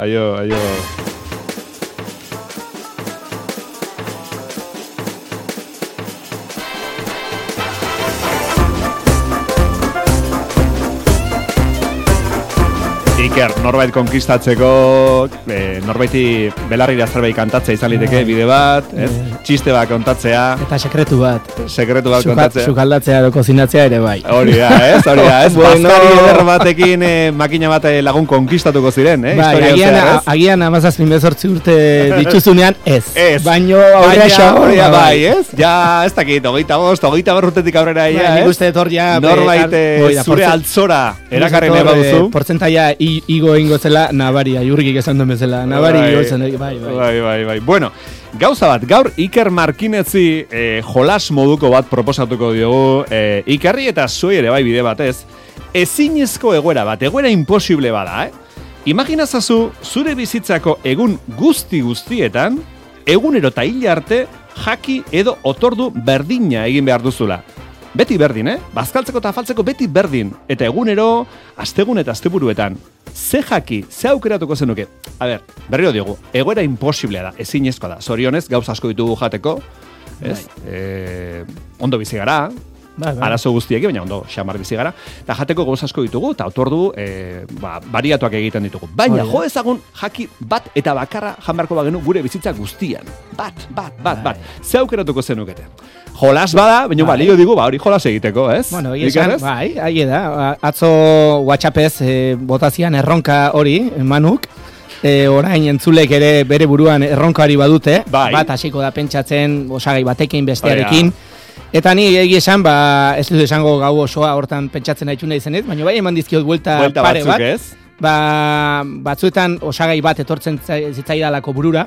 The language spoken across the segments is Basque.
Aio. Iker, norbait konkistatzeko, norbaiti belarrira zerbait kantatzea izan liteke, bide bat, txiste bat kontatzea. Eta sekretu bat kontatzea. Sukaldatzea edo kozinatzea ere bai. Hori da, ez? Bazkari eder batekin makina bat lagun konkistatuko ziren, Bai, agian 17 urte dituzunean ez. Baino aurrea bai, ez? Ja, ez dakit, 25 urtetik aurrera ia, ez? Nik uste etor ja... Norbait zure altzora erakarri nahi baduzu. Portzentaia igo ingo zela nabaria, jurgik esan duen bezala. Nabari igo zen, bai. Bueno, gauza bat, gaur Iker Markinetzi jolas moduko bat proposatuko diogu Ikerri eta zuei ere bai bide batez. Ezinezko egoera bat, egoera imposible bada, Imaginazazu zure bizitzako egun guztietan, egunero eta hil arte, jaki edo otordu berdina egin behar duzula. Beti berdin, Bazkaltzeko eta afaltzeko beti berdin. Eta egunero, astegun eta asteburuetan. Ze jaki, ze aukeratuko zenuke? A ber, berriro diogu, egoera imposiblea da, ezinezkoa da. Zorionez, gauza asko ditugu jateko, ez? Ondo bizi gara, arazo guztiekin, baina ondo xamar bizi gara. Eta jateko gauza asko ditugu, eta otordu bariatuak egiten ditugu. Baina, jo ezagun jaki bat eta bakarra janbarko bagenu gure bizitza guztian. Bat. Ze aukeratuko zenukete? Jolas bada, baina balio digu, hori jolas egiteko, ez? Bueno, bai, ahi da. Atzo WhatsAppez botazian erronka hori, Manuk. Orain entzulek ere bere buruan erronkari badute. Bai. Bat hasiko da pentsatzen osagai batekin bestearekin. Eta ni egia esan, ez dut esango gau osoa hortan pentsatzen haitxuna izenez, baina bai eman dizkiot buelta pare batzuk, bat. Ez? Batzuetan osagai bat etortzen zitzaidalako burura.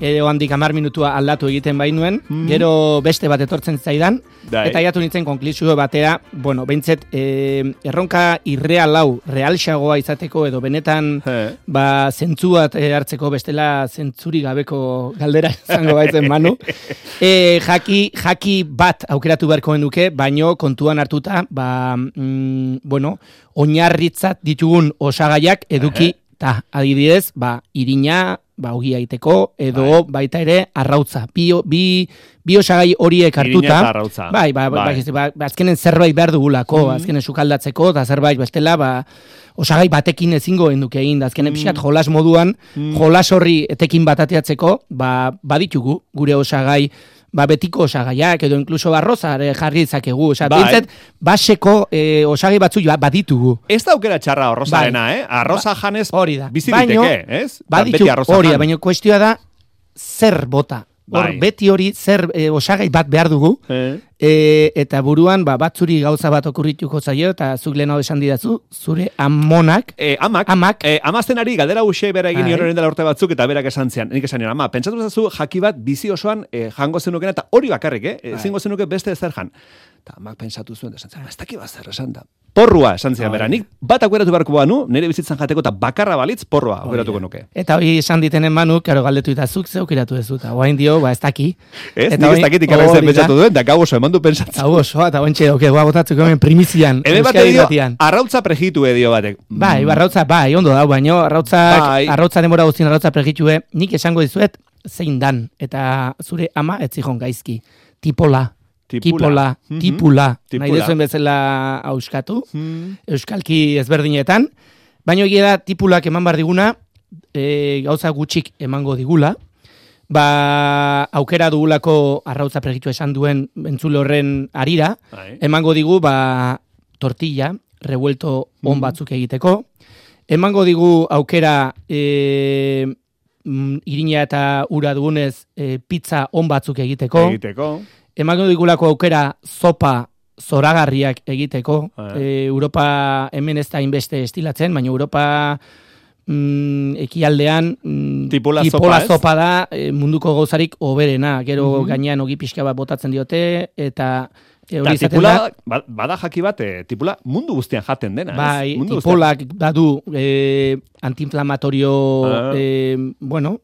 Edo handik 10 minutua aldatu egiten bainuen, gero beste bat etortzen zaidan, eta jatu nintzen konklusio batera, behintzet, erronka irreal hau, realxagoa izateko, edo benetan, zentzu bat hartzeko bestela zentzuri gabeko galdera izango baitzen Manu. Jaki bat aukeratu beharko genuke, baino kontuan hartuta, oinarritzat ditugun osagaiak eduki, eta adibidez, irina, ogia iteko, edo baita ere arrautza. Bi osagai horiek hartuta. Azkenen zerbait behar dugulako, azkenen sukaldatzeko, eta zerbait bestela, osagai batekin ezingo enduke egin, azkenen pixkat jolas moduan, jolas horri etekin bat ateatzeko, baditugu gure osagai, betiko osagaiak, edo inkluso arroza jarri izakegu. Bintzet, baseko osagai batzu baditugu. Ez da aukera txarra arrozarena, arroza janez biziteke, ez? Baditu hori, baina kuestioa da, zer bota. Beti hori zer osagai bat behar dugu, eta buruan batzuri gauza bat okurrituko zaio, eta zuk lehen hau esan didazu, zure amonak. Amaztenari galdera uxe bera egin horren dela urte batzuk, eta berak esan zian. Nik esan nion, ama, pentsatu zazu jaki bat bizi osoan jango zenukena, eta hori bakarrik, zingo zenuke beste ezer jan. Eta amak pentsatu zuen, esan zian, ez daki bat zer esan da. Porrua esan zian bera, nik bat aukeratu beharko banu, nire bizitzan jateko eta bakarra balitz, porrua aukeratuko nuke. Eta hori esan ditenen Manuk, karo galdetu eta zuk ze aukeratu ez dut, oain dio, ez daki. Ez, nik ez dakit ikarra zen pentsatu duen, da gau oso eman du pentsatzen. Gau oso, eta ointxe, botatzeko hemen primizian. Ebe bate dio, arrautza prejitu edio batek. Arrautza, ondo dau, baino, arrautza demora guztien arrautza prejitue, nik esango dizuet, zein dan, eta zure ama ez zihon gaizki. Tipula, nahi dezuen bezala auskatu, euskalki ezberdinetan, baina egia da tipulak eman bar diguna, gauza gutxik emango digula, aukera dugulako arrautza pregitu esan duen entzule horren arira, emango digu tortilla, revuelto on batzuk egiteko, emango digu aukera irina eta ura dugunez pizza on batzuk egiteko, emango digulako aukera zopa zoragarriak egiteko. Europa hemen ez da inbeste estilatzen, baina Europa ekialdean tipula zopa da munduko gauzarik oberena. Gero gainean ogi pixka bat botatzen diote, eta Tipula, bada jaki bat, tipula mundu guztian jaten dena. Bai, tipulak badu antiinflamatorio, bueno,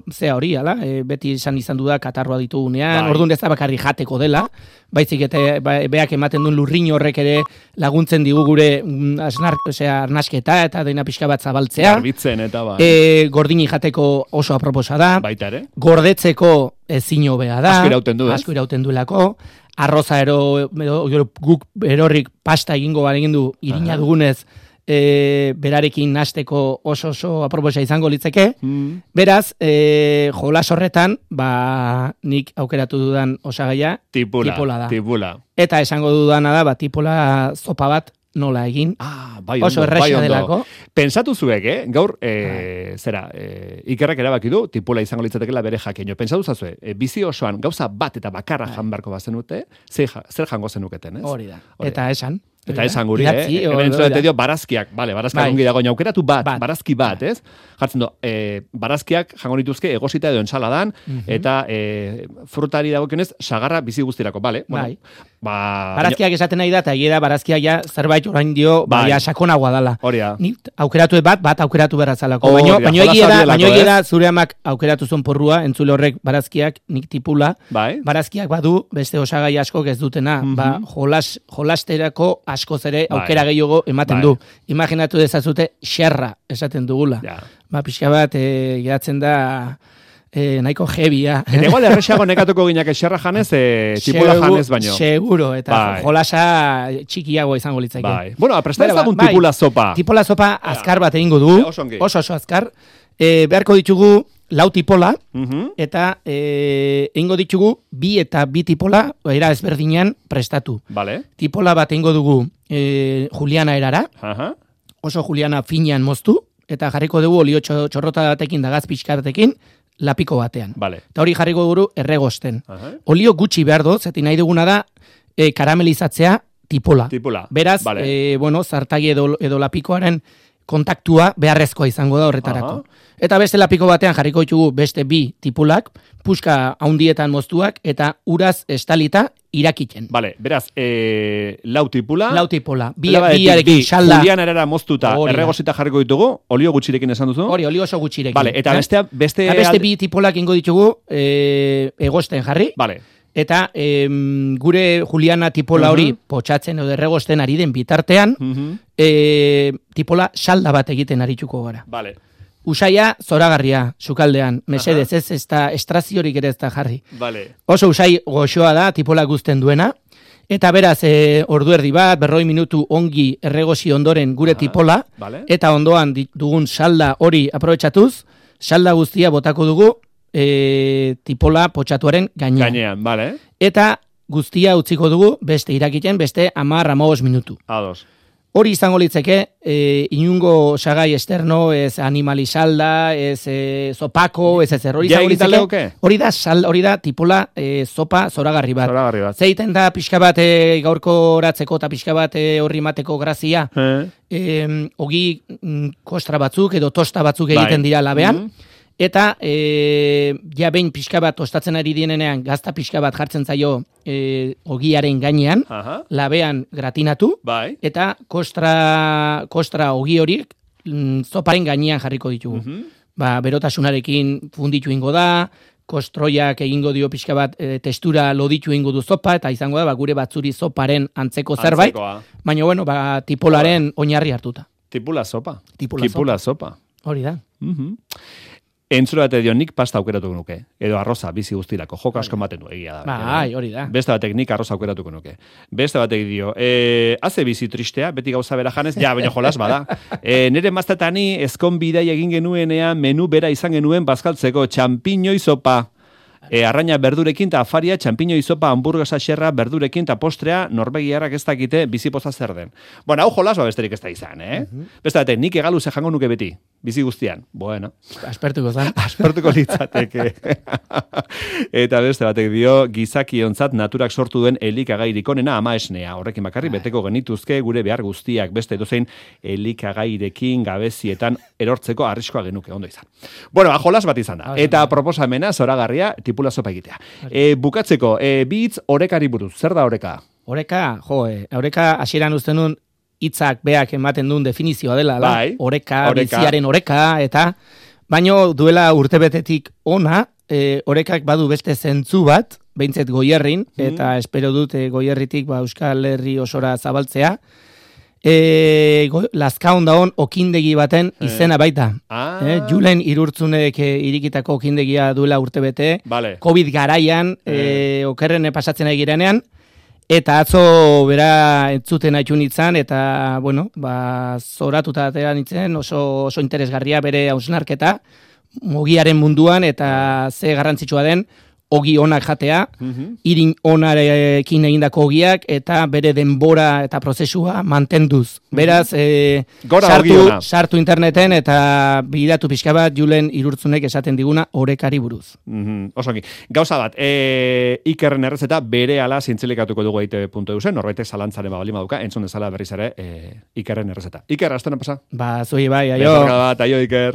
zea hori, ala, beti izan duda katarroa ditugunean, orduan ez da bakarri jateko dela, baizik eta beak ematen duen lurrin horrek ere laguntzen digu gure arnasketa eta deina pixka bat zabaltzea. Garbitzen eta gordini jateko oso aproposa da. Baita ere. Gordetzeko ezin hobea da. Asko irauten duelako. Arroza guk erorrik pasta egin du irina dugunez berarekin nasteko oso aproposa izango litzeke. Beraz, jolas horretan, nik aukeratu dudan osagaia tipula da. Tipula. Eta esango dudana da, tipula zopa bat nola egin. Oso erraxa delako. Pensatu zuek, gaur, Ikerrek erabaki du, tipula izango litzatekela bere jakeño. Pensatu zazue, bizi osoan gauza bat eta bakarra jan barko bazenute, zer jango zenuketen, ez? Hori da. Eta esan. Eta esan guri, hemen entzulete dio barazkiak, barazkiak ongi dago, aukeratu barazki bat, ez? Jartzen du, barazkiak jango nituzke egosita edo ensaladan, eta frutari dagokionez, sagarra bizi guztirako, bale? Barazkiak esaten nahi da, eta hiera barazkiak ja zerbait orain dio, sakonagoa dala. Horia. Aukeratu bat aukeratu berazalako. Baina egia da, zure amak aukeratu zuen porrua, entzule horrek barazkiak, nik tipula, barazkiak badu, beste osagai askok ez dutena, jolasterako askoz ere aukera gehiago ematen du. Imaginatu dezazute xerra esaten dugula. Pixka bat geratzen da nahiko jebia. Eta igual erresago nekatuko ginak xerra janez, tipula janez baino. Seguro, eta jolasa txikiago izango litzake. Bueno, presta ez dagun tipula sopa. Tipula sopa azkar bat egingo du. Oso azkar. Beharko ditugu lau tipola, eta egingo ditugu bi tipola, era ezberdinean prestatu. Tipola bat egingo dugu juliana erara, oso juliana finean moztu, eta jarriko dugu olio txorrota batekin da gaz pixkartekin, lapiko batean. Eta hori jarriko dugu erregosten. Olio gutxi behar dut, zeti nahi duguna da karamelizatzea tipola. Beraz, zartagi edo lapikoaren kontaktua beharrezkoa izango da horretarako. Eta beste lapiko batean jarriko ditugu beste bi tipulak, puska haundietan moztuak, eta uraz estalita irakiten. Beraz, lau tipula. Biarekin xalda. Julian erara moztuta, erregosita jarriko ditugu, olio gutxirekin esan duzu? Hori, olio oso gutxirekin. Eta beste bi tipulak ingo ditugu egosten jarri. Eta gure Juliana tipola hori potxatzen edo erregosten ari den bitartean, tipola salda bat egiten arituko gara. Usaia zoragarria, sukaldean, mesedez, ez da estraziorik ere ez da jarri. Oso usai goxoa da, tipola guzten duena, eta beraz, ordu erdi bat, 40 minutu ongi erregosi ondoren gure tipola, eta ondoan dugun salda hori aprobetxatuz, salda guztia botako dugu, tipola potxatuaren gainean. Eta guztia utziko dugu beste irakiten, beste 10-15 minutu. Hori izango litzeke, inungo sagai esterno, ez animalisalda, ez zopako, ez hori izango litzeke. Hori da tipola zopa zoragarri bat. Zeiten da pixka bat gaurko horatzeko eta pixka bat horri mateko grazia, ogi kostra batzuk edo tosta batzuk egiten dira labean, eta behin pixka bat tostatzen ari dienean gazta pixka bat jartzen zaio ogiaren gainean, labean gratinatu, eta kostra ogi horiek zoparen gainean jarriko ditugu. Berotasunarekin funditu ingo da, kostroiak egingo dio pixka bat testura loditu ingo du zopa, eta izango da gure batzuri zoparen antzeko zerbait, baina tipolaren oinarri hartuta. Tipula sopa. Hori da. Entzule bate dio, nik pasta aukeratuko nuke. Edo arroza, bizi guztirako. Joko asko ematen du, egia da. Hori da. Beste batek nik arroza aukeratuko nuke. Beste batek dio, haze bizi tristea, beti gauza bera janez, baina jolas bada. Nire maztatani ezkon bidai egin genuenean menu bera izan genuen bazkaltzeko txampiñoi sopa. Arraina berdurekin eta afaria, txampiñoi sopa, hamburguesa xerra, berdurekin eta postrea, norbegiarrak ez dakite bizipoza zer den. Bueno, hau jolas besterik ez da izan, Beste batek, nik egalu ze jango nuke beti. Bizi guztian. Bueno. Aspertuko litzateke. Eta beste batek dio, gizakiontzat naturak sortu duen elikagairik onena ama esnea. Horrekin bakarri beteko genituzke gure behar guztiak. Beste edozein elikagairekin gabezietan erortzeko arriskoa genuke. Ondo izan. Bueno, jolas bat izan da. Eta proposamena zoragarria tipula sopa egitea. Bukatzeko, bi hitz orekari buruz. Zer da oreka? Oreka, oreka hasieran uste nun hitzak beak ematen duen definizioa dela, oreka, biziaren oreka, eta baino duela urtebetetik ona, orekak badu beste zentzu bat, behintzet Goierrin, eta espero dut Goierritik Euskal Herri osora zabaltzea, Lazkaon daon okindegi baten izena baita. Julen Irurtzunek irikitako okindegia duela urtebete, COVID garaian, okerren pasatzen egirenean, eta atzo bera entzuten haitu nintzen, eta, zoratuta atera nintzen, oso interesgarria bere hausnarketa, ogiaren munduan, eta ze garrantzitsua den, ogi onak jatea, irin onarekin egindako ogiak, eta bere denbora eta prozesua mantenduz. Beraz, sartu interneten, eta bidatu pixka bat Julen Irurtzunek esaten diguna orekari buruz. Osongi, gauza bat, Ikerren errezeta bere ala zintzilikatuko dugu EITB.eusen, norbaitek zalantzaren bali maduka, entzun dezala berriz ere Ikerren errezeta. Iker, astena pasa? Zui bai, aio. Aio, Iker.